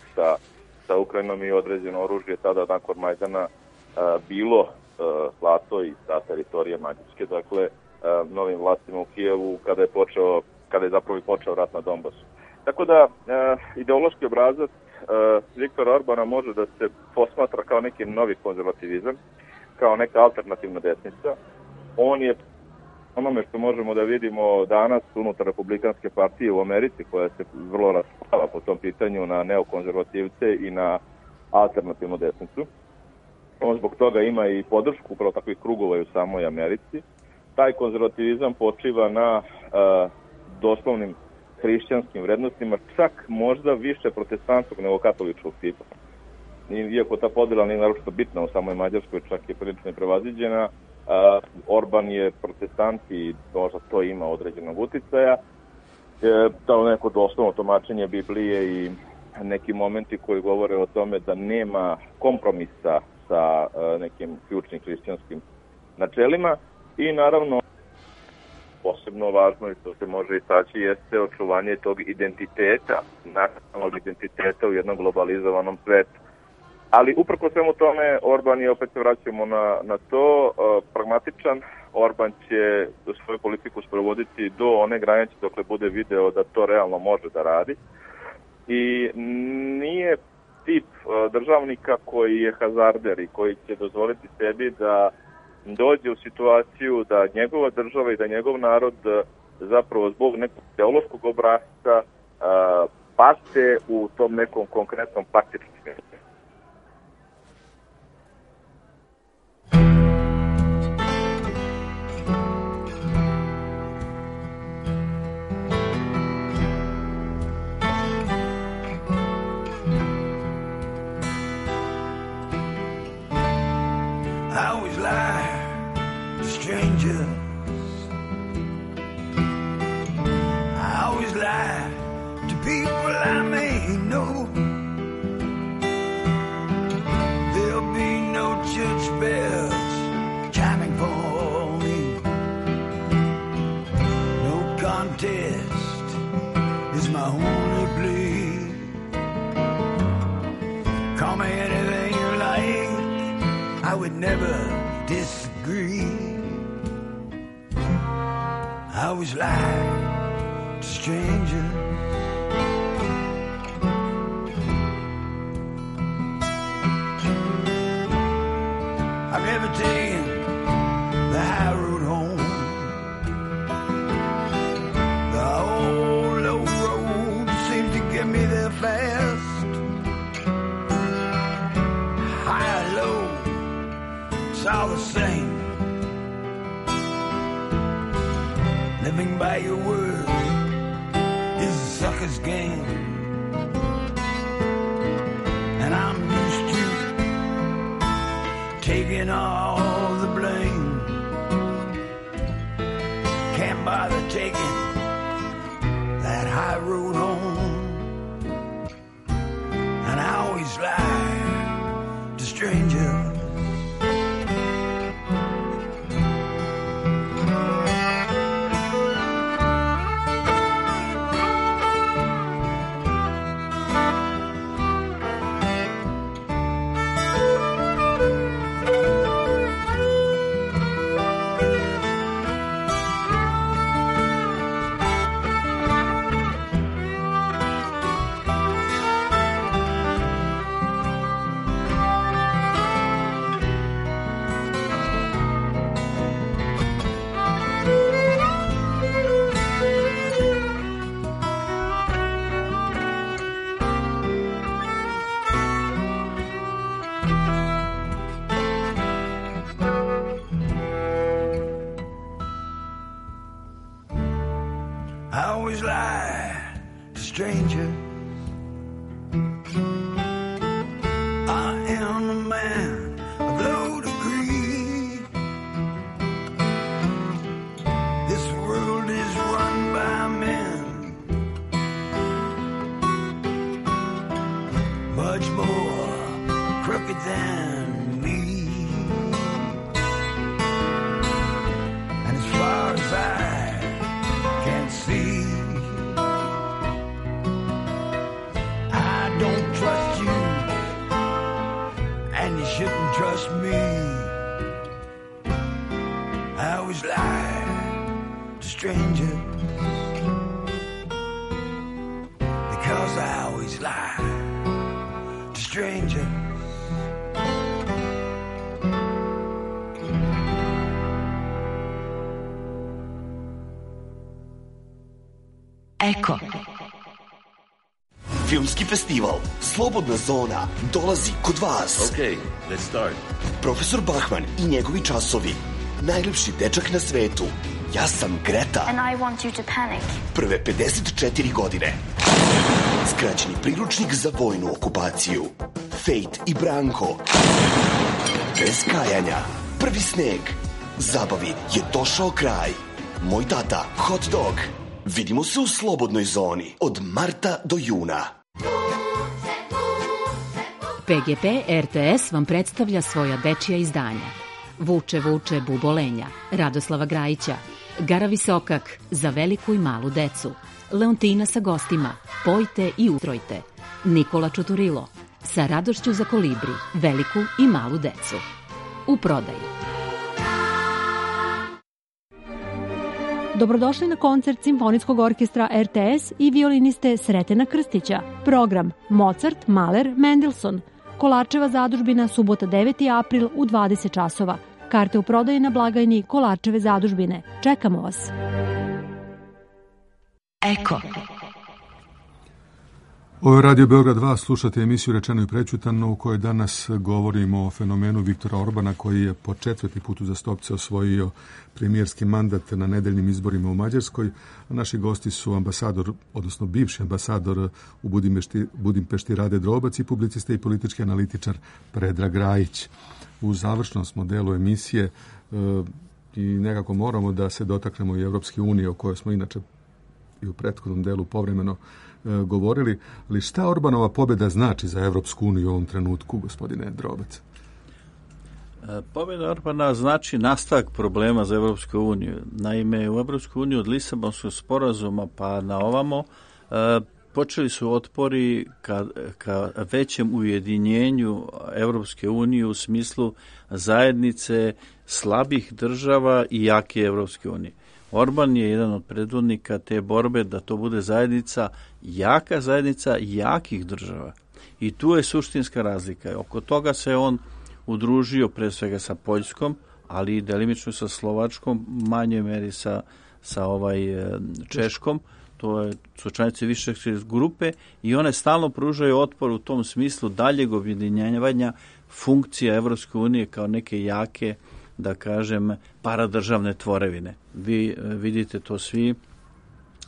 sa Ukrajinom i određeno oružje tada nakon Majdana bilo slato i sa teritorije Mađarske, dakle novim vlastima u Kijevu kada je zapravo počeo rat na Donbasu. Tako da ideološki obrazac Viktora Orbana može da se posmatra kao neki novi konzervativizam, kao neka alternativna desnica. On je onome što možemo da vidimo danas unutar Republikanske partije u Americi, koja se vrlo raspala po tom pitanju na neokonzervativce i na alternativnu desnicu. On zbog toga ima i podršku upravo takvih krugova u samoj Americi. Taj konzervativizam počiva na doslovnim hrišćanskim vrednostima, čak možda više protestantskog nego katoličkog tipa. Iako ta podjela nije naročito bitna u samoj Mađarskoj, čak je prilično prevaziđena, Orban je protestant i možda to ima određenog uticaja. To neko doslovno tumačenje Biblije i neki momenti koji govore o tome da nema kompromisa sa nekim ključnim hrišćanskim načelima i naravno posebno važno i to se može istaći jeste očuvanje tog identiteta, nacionalnog identiteta u jednom globalizovanom svetu. Ali uprko svemu tome, Orban je, opet se vraćamo na to, pragmatičan. Orban će svoju politiku sprovoditi do one granice dokle bude video da to realno može da radi. I nije tip državnika koji je hazarder i koji će dozvoliti sebi da dođe u situaciju da njegova država i da njegov narod zapravo zbog nekog teološkog obrasca pate u tom nekom konkretnom praktičnom smislu. I always lie to strangers. I always lie to people I may know there'll be no church bells chiming for me. No contest is my only plea. Call me anything you like, I would never disagree. I always lie to strangers. I've never taken the high road home. The old low road seems to get me there fast. High or low, it's all the same. Living by your word is a sucker's game. And I'm used to taking all the blame. Can't bother taking that high road home. And I always lie to strangers. I always lie to strangers. I am a man of low degree. This world is run by men much more crooked than me. And as far as I can see, I don't trust you, and you shouldn't trust me. I always lie to strangers, because I always lie to strangers. Eko. Filmski festival Slobodna zona dolazi kod vas. Okay, let's start. Profesor Bachman i njegovi časovi. Najlepši dečak na svetu. Ja sam Greta. And I want you to panic. Prve 54 godine. Skraćeni priručnik za vojnu okupaciju. Fate i Branko. Bez kajanja. Prvi sneg. Zabavi je došao kraj. Moj tata, hot dog. Vidimo se u Slobodnoj zoni od marta do juna. PGP RTS vam predstavlja svoja dečija izdanja. Vuče, vuče, bubolenja, Radoslava Grajića, Gara Visokak, za veliku i malu decu, Leontina sa gostima, Pojte i utrojte, Nikola Čuturilo, sa radošću za kolibri, veliku i malu decu. U prodaji. Dobrodošli na koncert Simfonijskog orkestra RTS i violiniste Sretena Krstića. Program Mozart, Mahler, Mendelssohn. Kolarčeva zadužbina, subota 9. april u 20 časova. Karte u prodaji na blagajni Kolarčeve zadužbine. Čekamo vas. Eko. Ovo je Radio Beograd 2, slušate emisiju Rečeno i prećutano u kojoj danas govorimo o fenomenu Viktora Orbana koji je po 4. put uzastopce osvojio premijerski mandat na nedeljnim izborima u Mađarskoj. A naši gosti su ambasador, odnosno bivši ambasador u Budimpešti Rade Drobac i publicista i politički analitičar Predrag Grajić. U završnom smo delu emisije i nekako moramo da se dotaknemo i Evropske unije o kojoj smo inače i u prethodnom delu povremeno govorili, ali šta Orbanova pobjeda znači za Evropsku uniju u ovom trenutku, gospodine Drobac? Pobjeda Orbana znači nastavak problema za Evropsku uniju. Naime, u Evropsku uniju od Lisabonskog sporazuma pa na ovamo počeli su otpori ka većem ujedinjenju Evropske unije u smislu zajednice slabih država i jake Evropske unije. Orban je jedan od predvodnika te borbe da to bude zajednica jakih država. I tu je suštinska razlika. Oko toga se on udružio pre svega sa Poljskom, ali i delimično sa Slovačkom, manjoj meri sa Češkom. To su članice više grupe i one stalno pružaju otpor u tom smislu daljeg objedinjavanja funkcija Evropske unije kao neke jake, da kažem, paradržavne tvorevine. Vi vidite to svi,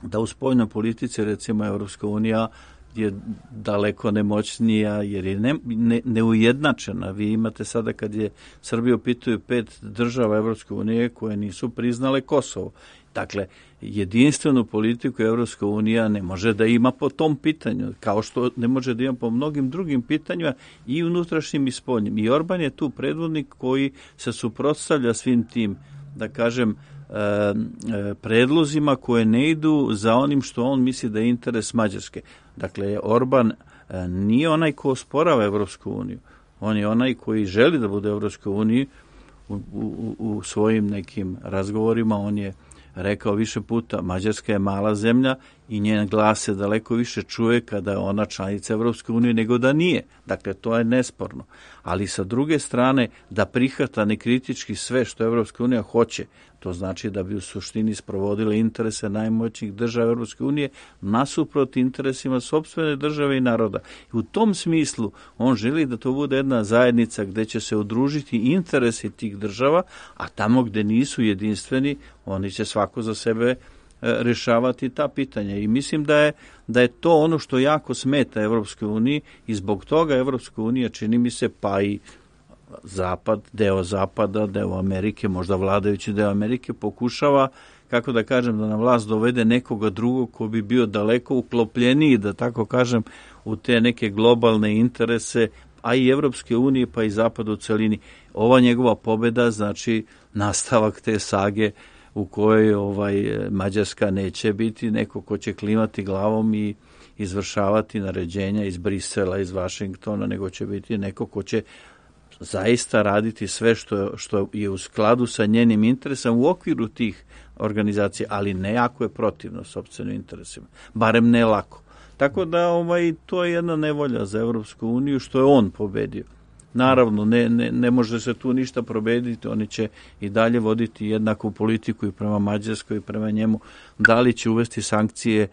da u spoljnoj politici, recimo, Evropska unija je daleko nemoćnija jer je neujednačena. Vi imate sada, kad je Srbiju pitaju 5 država Evropske unije koje nisu priznale Kosovo. Dakle, jedinstvenu politiku Evropska unija ne može da ima po tom pitanju, kao što ne može da ima po mnogim drugim pitanjima i unutrašnjim i spoljnim. I Orban je tu predvodnik koji se suprotstavlja svim tim, da kažem, predlozima koje ne idu za onim što on misli da je interes Mađarske. Dakle, Orban nije onaj ko osporava Evropsku uniju. On je onaj koji želi da bude Evropskoj uniji. U svojim nekim razgovorima on je rekao više puta, Mađarska je mala zemlja i njen glas se daleko više čuje kada je ona članica Evropske unije nego da nije. Dakle, to je nesporno. Ali sa druge strane, da prihvata nekritički sve što Evropska unija hoće, to znači da bi u suštini sprovodile interese najmoćnijih država Evropske unije nasuprot interesima sopstvene države i naroda. I u tom smislu on želi da to bude jedna zajednica gde će se udružiti interesi tih država, a tamo gde nisu jedinstveni, oni će svako za sebe rešavati ta pitanja. I mislim da je to ono što jako smeta Evropskoj uniji i zbog toga Evropska unija, čini mi se, pa i Zapad, deo Zapada, deo Amerike, možda vladajući deo Amerike, pokušava, kako da kažem, da na vlast dovede nekoga drugog ko bi bio daleko uklopljeniji, da tako kažem, u te neke globalne interese, a i Evropske unije, pa i Zapada u celini. Ova njegova pobjeda znači nastavak te sage u kojoj Mađarska neće biti neko ko će klimati glavom i izvršavati naređenja iz Brisela, iz Vašingtona, nego će biti neko ko će zaista raditi sve što je u skladu sa njenim interesom u okviru tih organizacija, ali ne ako je protivno sopstvenim interesima. Barem ne lako. Tako da to je jedna nevolja za Evropsku uniju što je on pobedio. Naravno, ne može se tu ništa probediti, oni će i dalje voditi jednaku politiku i prema Mađarskoj i prema njemu. Da li će uvesti sankcije,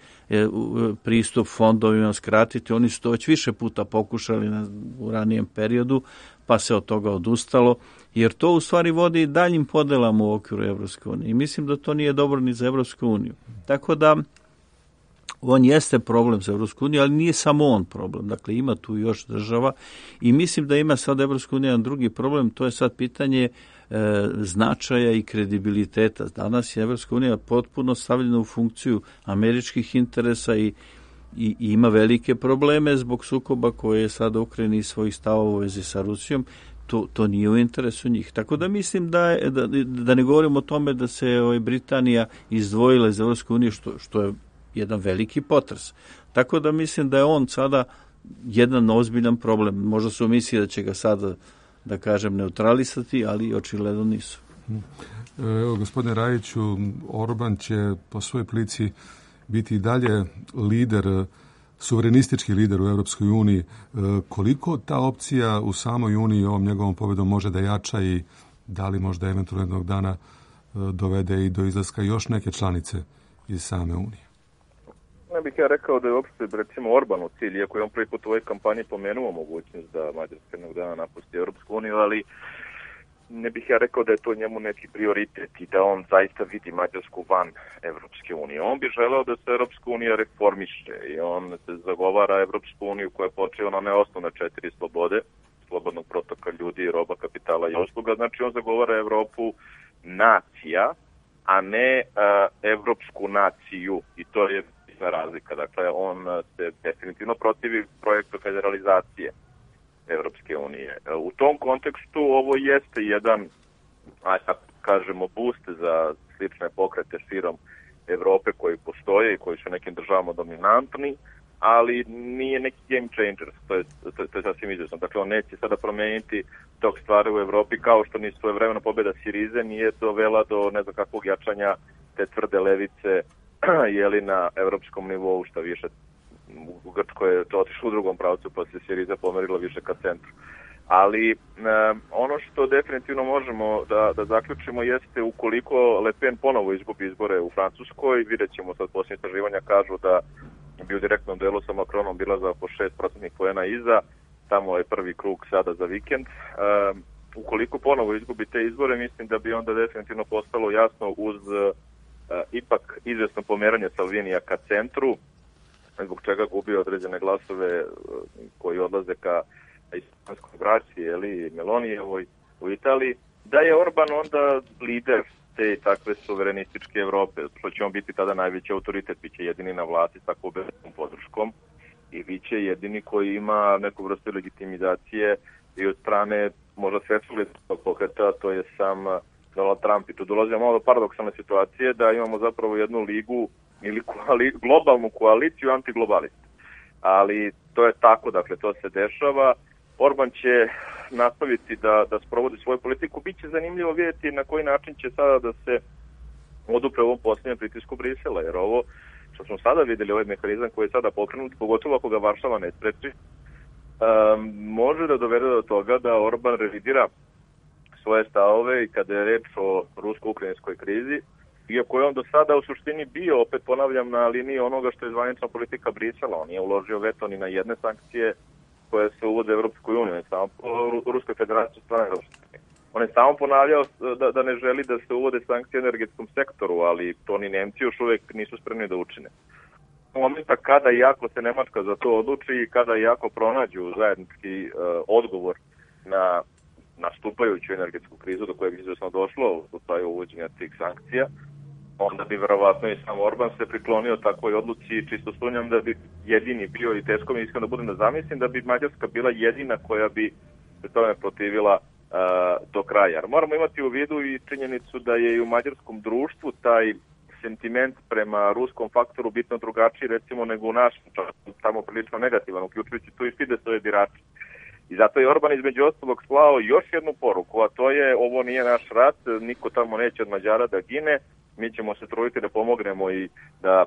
pristup fondovima, skratiti, oni su to već više puta pokušali u ranijem periodu, pa se od toga odustalo, jer to u stvari vodi daljim podelama u okviru Evropske unije. I mislim da to nije dobro ni za Evropsku uniju. Tako da on jeste problem za Evropsku uniju, ali nije samo on problem. Dakle, ima tu još država i mislim da ima sad Evropska unija drugi problem, to je sad pitanje značaja i kredibiliteta. Danas je Evropska unija potpuno stavljena u funkciju američkih interesa i ima velike probleme zbog sukoba koje je sad u Ukrajini i svojih stavova u vezi sa Rusijom. To nije u interesu njih. Tako da mislim da ne govorimo o tome da se Britanija izdvojila iz Evropske unije, što je jedan veliki potres. Tako da mislim da je on sada jedan ozbiljan problem. Možda su misli da će ga sada, da kažem, neutralisati, ali očigledno nisu. Evo, gospodine Rajiću, Orban će po svojoj prilici biti i dalje lider, suverenistički lider u Europskoj uniji. Koliko ta opcija u samoj uniji ovom njegovom pobjedom može da jača i da li možda eventualno jednog dana dovede i do izlaska još neke članice iz same unije? Ne bih ja rekao da je uopšte, recimo, Orban u cilj, iako je on prvi put u ovoj kampanji pomenuo mogućnost da Mađarska jednog dana napusti Europsku uniju, ali ne bih ja rekao da je to njemu neki prioritet i da on zaista vidi Mađarsku van Evropske unije. On bi želeo da se Evropska unija reformiše i on se zagovara Evropsku uniju koja je počela na one osnovne 4 slobode, slobodnog protoka ljudi, roba, kapitala i usluga. Znači on zagovara Evropu nacija, a ne evropsku naciju, i to je ključna razlika. Dakle, on se definitivno protivi projektu federalizacije Evropske unije. U tom kontekstu ovo jeste jedan, tako kažemo, boost za slične pokrete širom Evrope koji postoje i koji su nekim državama dominantni, ali nije neki game changer, to je sasvim izvjesno. Dakle, on neće sada promeniti tok stvari u Evropi, kao što ni svojevremena pobjeda Sirize nije dovela do ne znam kakvog jačanja te tvrde levice na evropskom nivou, što više u Grčkoj je to otišlo u drugom pravcu, pa se Siriza pomerila više ka centru. Ali ono što definitivno možemo da zaključimo jeste ukoliko Le Pen ponovo izgubi izbore u Francuskoj, vidjet ćemo sad posljednje istraživanja kažu da bi u direktnom delu sa Macronom bila za oko 6% poena iza, tamo je prvi krug sada za vikend. Ukoliko ponovo izgubi te izbore, mislim da bi onda definitivno postalo jasno uz ipak izvjesno pomeranje Salvinija ka centru, zbog čega gubi određene glasove koji odlaze ka islamskoj braći, Melonijevoj u Italiji, da je Orban onda lider te takve suverenističke Evrope, što će on biti tada najveći autoritet, bit će jedini na vlasti s takvom velikom podrškom i bit će jedini koji ima neku vrstu legitimizacije i od strane možda svetskog pokreta, to je sam Donald Trump. I tu dolazimo malo do paradoksalne situacije da imamo zapravo jednu ligu ili globalnu koaliciju antiglobalista. Ali to je tako, dakle, to se dešava. Orban će nastaviti da sprovodi svoju politiku. Biće zanimljivo vidjeti na koji način će sada da se odupre ovom posljednjem pritisku Brisela, jer ovo što smo sada vidjeli, ovaj mehanizam koji je sada pokrenut, pogotovo ako ga Varšava ne spreči, može da dovede do toga da Orban revidira svoje stavove i kada je reč o rusko-ukrajinskoj krizi, iako je on do sada u suštini bio, opet ponavljam, na liniji onoga što je zvanična politika Brisela. On nije uložio veto ni na jedne sankcije koje se uvode u Evropskoj uniji, on je samo Ruskoj federaciji strane Evropske unije. On je samo ponavljao da ne želi da se uvode sankcije u energetskom sektoru, ali to ni Nemci još uvek nisu spremni da učine. U momenta kada i ako se Nemačka za to odluči i kada i ako pronađu zajednički odgovor na nastupajuću energetsku krizu do kojeg izvjesno došlo u slučaju uvođenja tih sankcija, onda bi verovatno i sam Orban se priklonio takvoj odluci i čisto sumnjam da bi jedini bio i teško mi iskreno da budem da zamislim da bi Mađarska bila jedina koja bi se tome protivila do kraja. Jer moramo imati u vidu i činjenicu da je i u mađarskom društvu taj sentiment prema ruskom faktoru bitno drugačiji recimo nego u našem, tamo prilično negativan, uključujući tu i Fidesove birače. I zato je Orban između ostalog slao još jednu poruku, a to je ovo nije naš rat, niko tamo neće od Mađara da gine, mi ćemo se truditi da pomognemo i da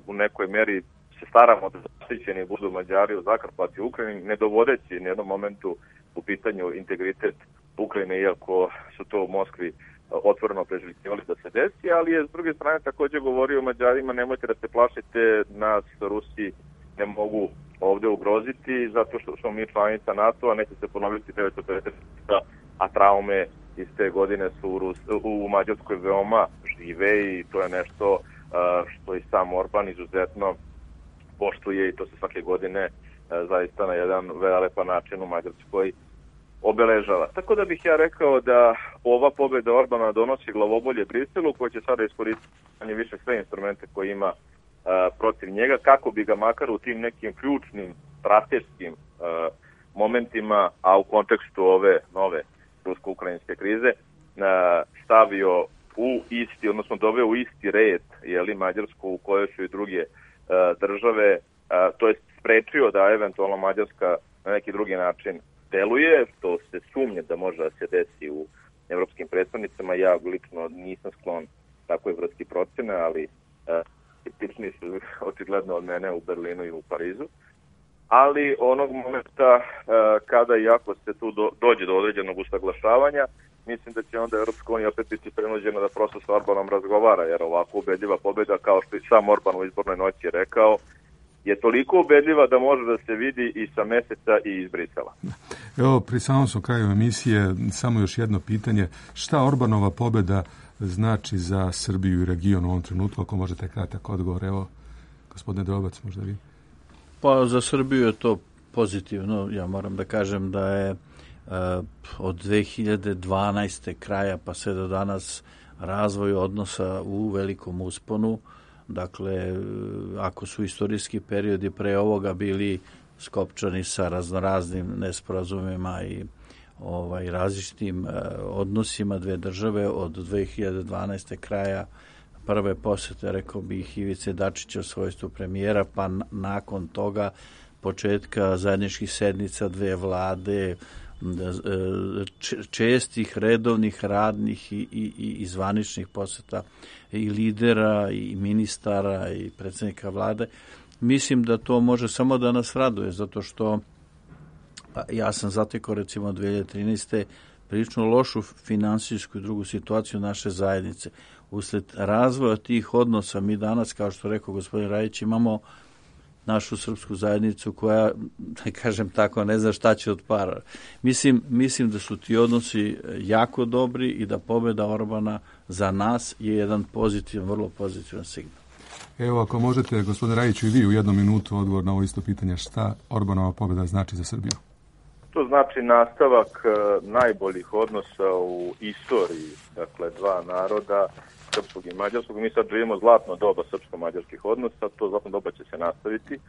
u nekoj meri se staramo da zaštićeni budu Mađari u Zakarpatju u Ukrajini, ne dovodeći na jednom momentu u pitanju integritet Ukrajine, iako su to u Moskvi otvoreno preželjkivali da se desi, ali je s druge strane također govorio Mađarima, nemojte da se plašite, nas Rusi ne mogu ovdje ugroziti, zato što smo mi članica NATO-a, neće se ponoviti 1950, a traume iz te godine su u Mađarskoj veoma žive i to je nešto što i sam Orban izuzetno poštuje i to se svake godine zaista na jedan velepan način u Mađarskoj obeležava. Tako da bih ja rekao da ova pobjeda Orbana donosi glavobolje Briselu, koji će sada iskoristiti više sve instrumente koje ima protiv njega, kako bi ga makar u tim nekim ključnim strateškim momentima, a u kontekstu ove nove rusko-ukrajinske krize, stavio u isti, odnosno doveo u isti red, Mađarsku u kojoj su i druge države, to je sprečio da eventualno Mađarska na neki drugi način deluje, što se sumnje da može da se desi u evropskim predstavnicama. Ja lično nisam sklon takvoj vrsti procene, ali tični su očigledno od mene u Berlinu i u Parizu. Ali onog momenta kada i ako se tu dođe do određenog usaglašavanja, mislim da će onda Evropska unija opet biti prinuđena da prosto s Orbanom razgovara, jer ovako ubedljiva pobjeda, kao što i sam Orban u izbornoj noći je rekao, je toliko ubedljiva da može da se vidi i sa meseca i iz Brisela. Evo, pri samom su kraju emisije, samo još jedno pitanje. Šta Orbanova pobjeda znači za Srbiju i region u ovom trenutku, ako možete kratak odgovor? Evo, gospodine Drobac, možda vi. Pa za Srbiju je to pozitivno. Ja moram da kažem da je od 2012. kraja pa sve do danas razvoj odnosa u velikom usponu. Dakle, ako su istorijski periodi pre ovoga bili skopčani sa raznoraznim nesporazumima i različitim odnosima dve države od 2012. kraja prve posete, rekao bih, Ivice Dačića u svojstvu premijera, pa nakon toga početka zajedničkih sednica dve vlade, čestih, redovnih, radnih i zvaničnih poseta i lidera i ministara i predsjednika vlade. Mislim da to može samo da nas raduje, zato što ja sam zatekao recimo 2013. prilično lošu finansijsku i drugu situaciju naše zajednice. Usled razvoja tih odnosa mi danas, kao što rekao gospodin Rajić, imamo našu srpsku zajednicu koja, da kažem tako, ne zna šta će od para. Mislim da su ti odnosi jako dobri i da pobjeda Orbana za nas je jedan pozitivan, vrlo pozitivan signal. Evo, ako možete, gospodine Rajiću, i vi u 1 minutu odgovor na ovo isto pitanje, šta Orbanova pobjeda znači za Srbiju? To znači nastavak najboljih odnosa u istoriji, dakle, dva naroda, srpskog i mađarskog. Mi sad živimo zlatno doba srpsko-mađarskih odnosa, to zlatno doba će se nastaviti.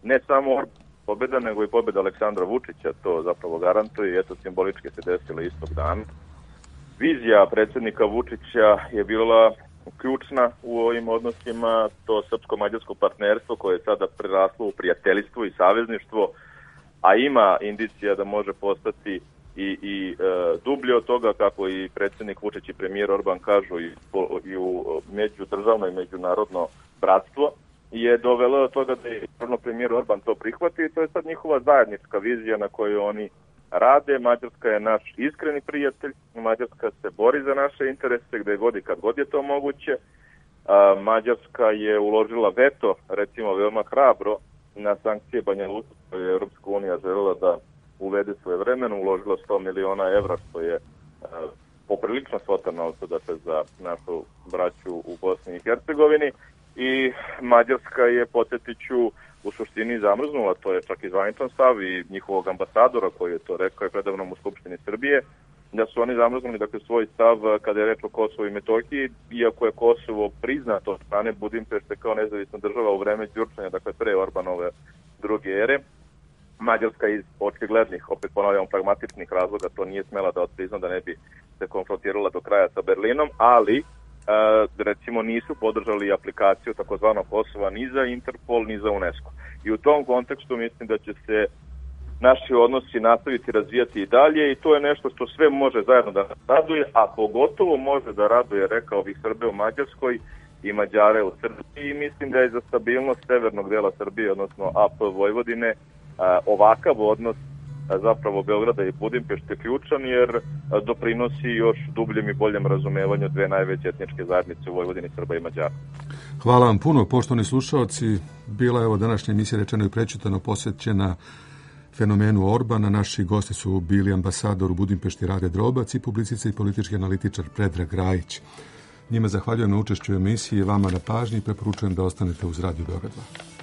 Ne samo pobjeda, nego i pobjeda Aleksandra Vučića, to zapravo garantuje i eto, simbolički se desilo istog dana. Vizija predsjednika Vučića je bila ključna u ovim odnosima, to srpsko-mađarsko partnerstvo koje je sada preraslo u prijateljstvo i savezništvo, a ima indicija da može postati i dublje od toga, kako i predsjednik Vučić i premijer Orban kažu, i u međudržavno i međunarodno bratstvo, je dovelo do toga da je premijer Orban to prihvati i to je sad njihova zajednička vizija na kojoj oni rade. Mađarska je naš iskreni prijatelj, Mađarska se bori za naše interese gde god i kad god je to moguće. Mađarska je uložila veto, recimo veoma hrabro, na sankcije Banja Luka koje je Europska unija želela da uvede svoje vremeno, uložila 100 miliona evra, što je poprilično svota novca, dakle, za našu braću u Bosni i Hercegovini. I Mađarska je, podsjetit ću, u suštini zamrznula, to je čak i zvaničan stav i njihovog ambasadora koji je to rekao je predavnom u Skupštini Srbije, da su oni zamrznuli, dakle, svoj stav kada je reč o Kosovu i Metohiji, iako je Kosovo priznato od strane Budimpešte kao nezavisna država u vreme Đurčanja, dakle pre Orbanove druge ere. Mađarska iz očiglednih, opet ponavljamo, pragmatičnih razloga to nije smela da otprizna, da ne bi se konfrontirala do kraja sa Berlinom, ali recimo nisu podržali aplikaciju takozvanog Kosova ni za Interpol ni za UNESCO. I u tom kontekstu mislim da će se naši odnosi nastaviti razvijati i dalje i to je nešto što sve može zajedno da raduje, a pogotovo može da raduje, rekao bih, Srbe u Mađarskoj i Mađare u Srbiji, i mislim da je za stabilnost severnog dela Srbije, odnosno AP Vojvodine, ovakav odnos zapravo Beograda i Budimpešte ključan, jer doprinosi još dubljem i boljem razumevanju dve najveće etničke zajednice u Vojvodini, Srba i Mađara. Hvala vam puno, poštovani slušaoci. Bila je ovo današnja emisija Rečeno i prečitano posvećena fenomenu Orbana. Naši gosti su bili ambasador u Budimpešti Rade Drobac i publicistica i politički analitičar Predrag Rajić. Njima zahvaljujem na učešću u emisiji, vama na pažnji i preporučujem da ostanete uz Radio Beograd 2.